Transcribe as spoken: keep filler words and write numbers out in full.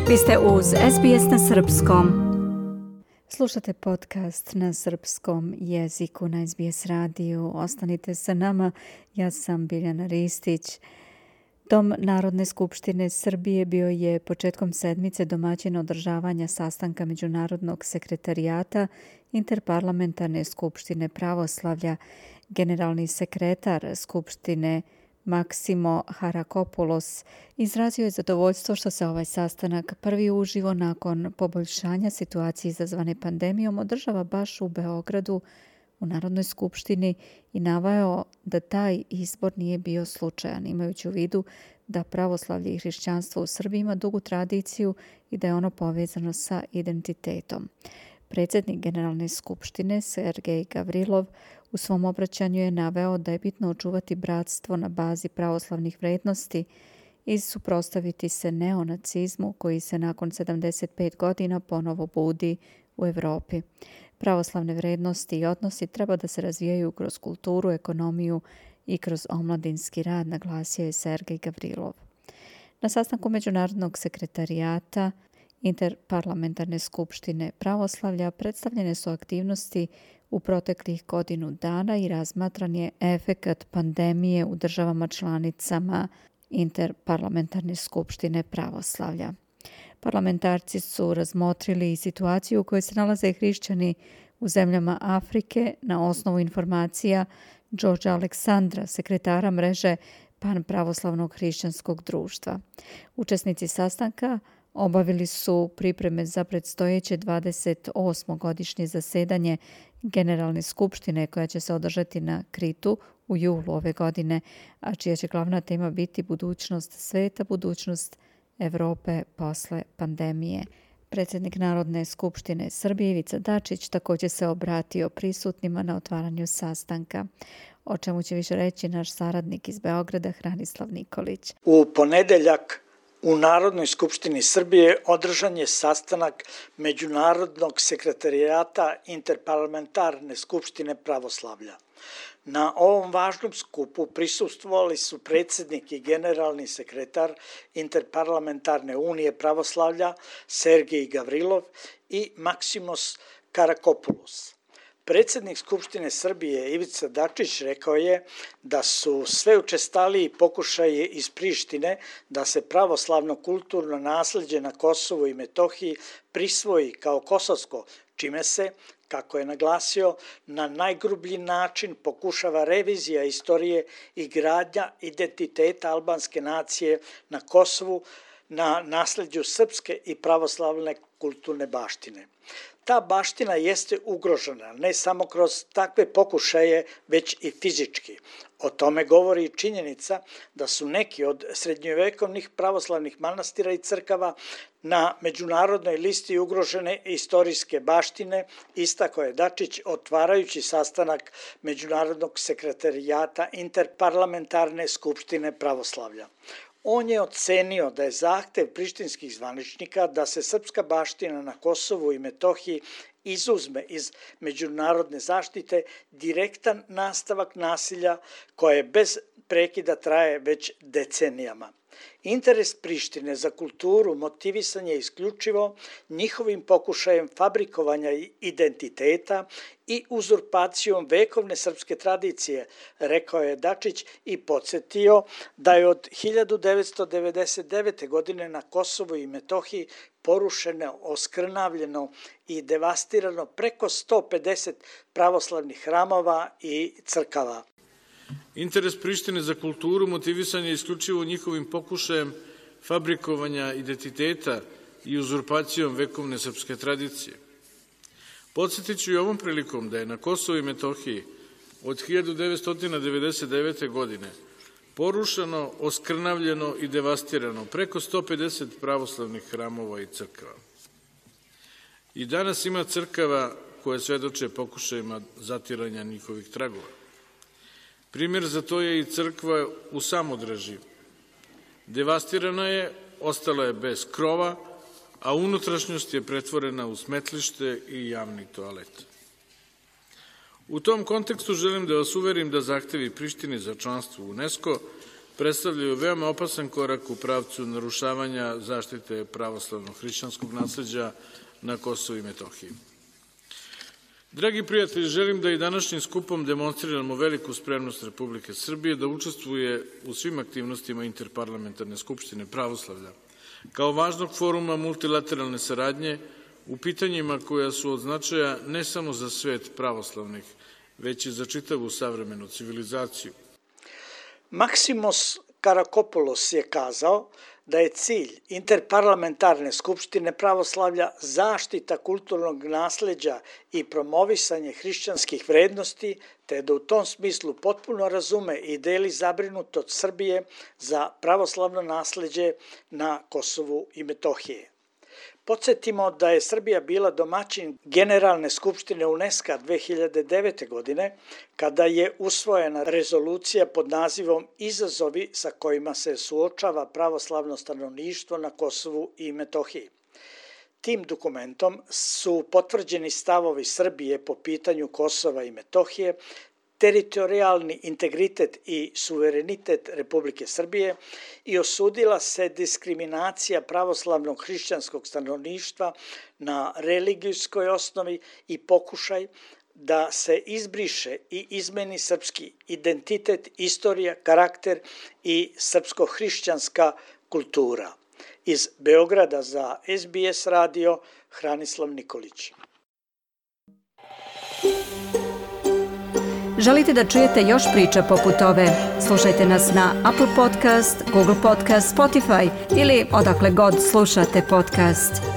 Vi ste uz S B S na srpskom. Slušate podcast na srpskom jeziku na S B S radiju. Ostanite sa nama. Ja sam Biljana Ristić. Dom Narodne skupštine Srbije bio je početkom sedmice domaćin održavanja sastanka Međunarodnog sekretarijata Interparlamentarne skupštine pravoslavlja. Generalni sekretar skupštine Maksimo Harakopoulos izrazio je zadovoljstvo što se ovaj sastanak prvi uživo nakon poboljšanja situacije izazvane pandemijom održava baš u Beogradu u Narodnoj skupštini i naveo da taj izbor nije bio slučajan, imajući u vidu da pravoslavlje i hrišćanstvo u Srbiji ima dugu tradiciju i da je ono povezano sa identitetom. Predsjednik Generalne skupštine Sergej Gavrilov u svom obraćanju je naveo da je bitno očuvati bratstvo na bazi pravoslavnih vrednosti i suprotstaviti se neonacizmu koji se nakon sedamdeset pet godina ponovo budi u Evropi. Pravoslavne vrednosti i odnosi treba da se razvijaju kroz kulturu, ekonomiju i kroz omladinski rad, naglasio je Sergej Gavrilov. Na sastanku Međunarodnog sekretarijata Interparlamentarne skupštine pravoslavlja predstavljene su aktivnosti u proteklih godinu dana i razmatran je efekat pandemije u državama članicama Interparlamentarne skupštine pravoslavlja. Parlamentarci su razmotrili i situaciju u kojoj se nalaze hrišćani u zemljama Afrike na osnovu informacija Đorđa Aleksandra, sekretara mreže Panpravoslavnog hrišćanskog društva. Učesnici sastanka obavili su pripreme za predstojeće dvadeset osmo godišnje zasedanje Generalne skupštine koja će se održati na Kritu u julu ove godine, a čija će glavna tema biti budućnost sveta, budućnost Evrope posle pandemije. Predsjednik Narodne skupštine Srbije Ivica Dačić također se obratio prisutnima na otvaranju sastanka, o čemu će više reći naš saradnik iz Beograda Hranislav Nikolić. U ponedeljak u Narodnoj skupštini Srbije održan je sastanak Međunarodnog sekretarijata Interparlamentarne skupštine pravoslavlja. Na ovom važnom skupu prisustvovali su predsjednik i generalni sekretar Interparlamentarne unije pravoslavlja Sergej Gavrilov i Maksimos Harakopoulos. Predsjednik Skupštine Srbije Ivica Dačić rekao je da su sve učestaliji pokušaji iz Prištine da se pravoslavno kulturno nasleđe na Kosovu i Metohiji prisvoji kao kosovsko, čime se, kako je naglasio, na najgrublji način pokušava revizija istorije i gradnja identiteta albanske nacije na Kosovu na nasleđu srpske i pravoslavne kulturne baštine. Ta baština jeste ugrožena ne samo kroz takve pokušaje, već i fizički. O tome govori i činjenica da su neki od srednjovekovnih pravoslavnih manastira i crkava na međunarodnoj listi ugrožene istorijske baštine, istakao je Dačić otvarajući sastanak Međunarodnog sekretarijata Interparlamentarne skupštine pravoslavlja. On je ocenio da je zahtev prištinskih zvaničnika da se srpska baština na Kosovu i Metohiji izuzme iz međunarodne zaštite direktan nastavak nasilja koje bez prekida traje već decenijama. Interes Prištine za kulturu motivisan je isključivo njihovim pokušajem fabrikovanja identiteta i uzurpacijom vekovne srpske tradicije, rekao je Dačić i podsjetio da je od hiljadu devetsto devedeset devete. godine na Kosovu i Metohiji porušeno, oskrnavljeno i devastirano preko sto pedeset pravoslavnih hramova i crkava. Interes Prištine za kulturu motivisan je isključivo njihovim pokušajem fabrikovanja identiteta i uzurpacijom vekovne srpske tradicije. Podsjetit ću i ovom prilikom da je na Kosovu i Metohiji od hiljadu devetsto devedeset devete. godine porušeno, oskrnavljeno i devastirano preko sto pedeset pravoslavnih hramova i crkava. I danas ima crkava koje svedoče pokušajima zatiranja njihovih tragova. Primjer za to je i crkva u Samodreži. Devastirana je, ostala je bez krova, a unutrašnjost je pretvorena u smetlište i javni toalet. U tom kontekstu želim da vas uverim da zahtevi Prištine za članstvo u UNESCO predstavljaju veoma opasan korak u pravcu narušavanja zaštite pravoslavnog hrišćanskog nasleđa na Kosovu i Metohiji. Dragi prijatelji, želim da i današnjim skupom demonstriramo veliku spremnost Republike Srbije da učestvuje u svim aktivnostima Interparlamentarne skupštine pravoslavlja, kao važnog foruma multilateralne saradnje u pitanjima koja su od značaja ne samo za svet pravoslavnih, već i za čitavu savremenu civilizaciju. Maksimos Karakopoulos je kazao da je cilj Interparlamentarne skupštine pravoslavlja zaštita kulturnog nasleđa i promovisanje hrišćanskih vrednosti, te da u tom smislu potpuno razume i deli zabrinutost Srbije za pravoslavno nasleđe na Kosovu i Metohiji. Podsjetimo da je Srbija bila domaćin Generalne skupštine UNESCO dve hiljade devete. godine, kada je usvojena rezolucija pod nazivom Izazovi sa kojima se suočava pravoslavno stanovništvo na Kosovu i Metohiji. Tim dokumentom su potvrđeni stavovi Srbije po pitanju Kosova i Metohije, teritorijalni integritet i suverenitet Republike Srbije i osudila se diskriminacija pravoslavnog hrišćanskog stanovništva na religijskoj osnovi i pokušaj da se izbriše i izmeni srpski identitet, istorija, karakter i srpsko-hrišćanska kultura. Iz Beograda za S B S radio, Hranislav Nikolić. Želite da čujete još priča poput ove? Slušajte nas na Apple Podcast, Google Podcast, Spotify ili odakle god slušate podcast.